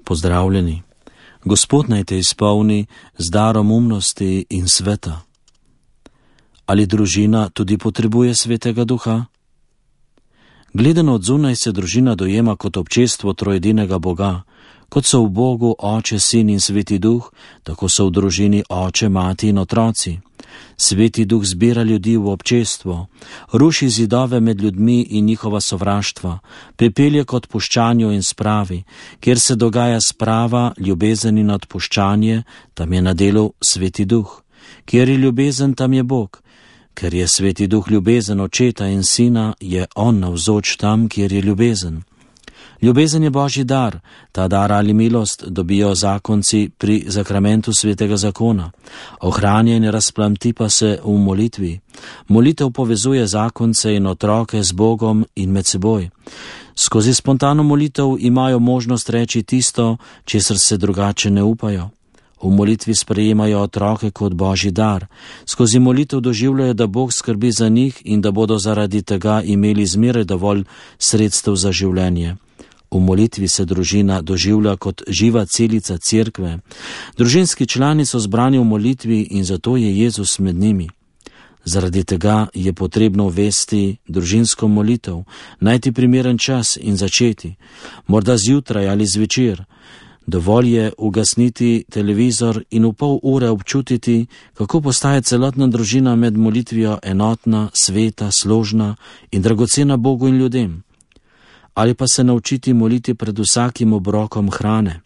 Pozdravljeni. Gospod naj te izpolni z darom umnosti in sveta. Ali družina tudi potrebuje svetega duha? Gledano od zunaj se družina dojema kot občestvo trojedinega Boga. Kot so v Bogu Oče, Sin in Sveti Duh, tako so v družini oče, mati in otroci. Sveti Duh zbira ljudi v občestvo, ruši zidove med ljudmi in njihova sovraštva, pripelje k odpuščanju in spravi. Kjer se dogaja sprava, ljubezen in odpuščanje, tam je na delu Sveti Duh. Kjer je ljubezen, tam je Bog. Ker je Sveti Duh ljubezen Očeta in Sina, je On navzoč tam, kjer je ljubezen. Ljubezen je Božji dar. Ta dar ali milost dobijo zakonci pri zakramentu svetega zakona. Ohranja in razplamti pa se v molitvi. Molitev povezuje zakonce in otroke z Bogom in med seboj. Skozi spontano molitev imajo možnost reči tisto, česar se drugače ne upajo. V molitvi sprejemajo otroke kot Božji dar. Skozi molitev doživljajo, da Bog skrbi za njih in da bodo zaradi tega imeli zmeraj dovolj sredstev za življenje. V molitvi se družina doživlja kot živa celica cerkve. Družinski člani so zbrani v molitvi in zato je Jezus med njimi. Zaradi tega je potrebno uvesti družinsko molitev, najti primeren čas in začeti. Morda zjutraj ali zvečer. Dovolj je ugasniti televizor in v pol ure občutiti, kako postaje celotna družina med molitvijo enotna, sveta, složna in dragocena Bogu in ljudem. Ali pa se naučiti moliti pred vsakim obrokom hrane,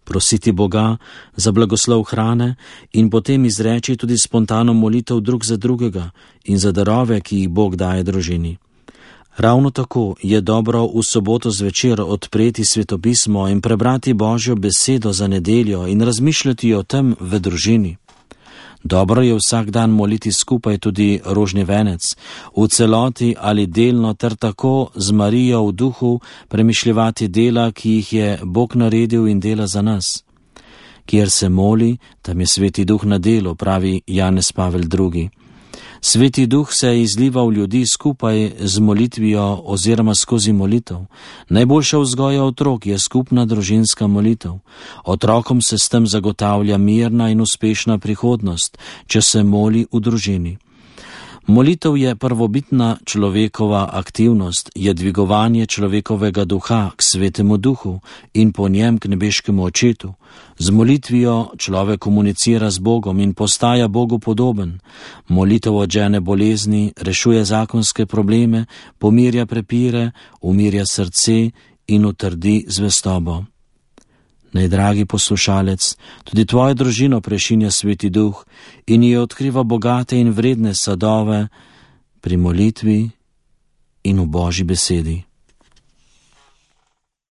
prositi Boga za blagoslov hrane in potem izreči tudi spontano molitev drug za drugega in za darove, ki jih Bog daje družini. Ravno tako je dobro v soboto zvečer odpreti svetopismo in prebrati Božjo besedo za nedeljo in razmišljati o tem v družini. Dobro je vsak dan moliti skupaj tudi rožni venec, v celoti ali delno ter tako z Marijo v duhu premišljevati dela, ki jih je Bog naredil in dela za nas. Kjer se moli, tam je Sveti Duh na delu, pravi Janez Pavel II. Sveti Duh se izliva v ljudi skupaj z molitvijo oziroma skozi molitev. Najboljša vzgoja otrok je skupna družinska molitev. Otrokom se s tem zagotavlja mirna in uspešna prihodnost, če se moli v družini. Molitev je prvobitna človekova aktivnost, je dvigovanje človekovega duha k Svetemu Duhu in po njem k nebeškemu Očetu. Z molitvijo človek komunicira z Bogom in postaja Bogu podoben. Molitev odžene bolezni, rešuje zakonske probleme, pomirja prepire, umirja srce in utrdi zvestobo. Najdragi poslušalec, tudi tvojo družino prešinja Sveti Duh in ji odkriva bogate in vredne sadove pri molitvi in v Božji besedi.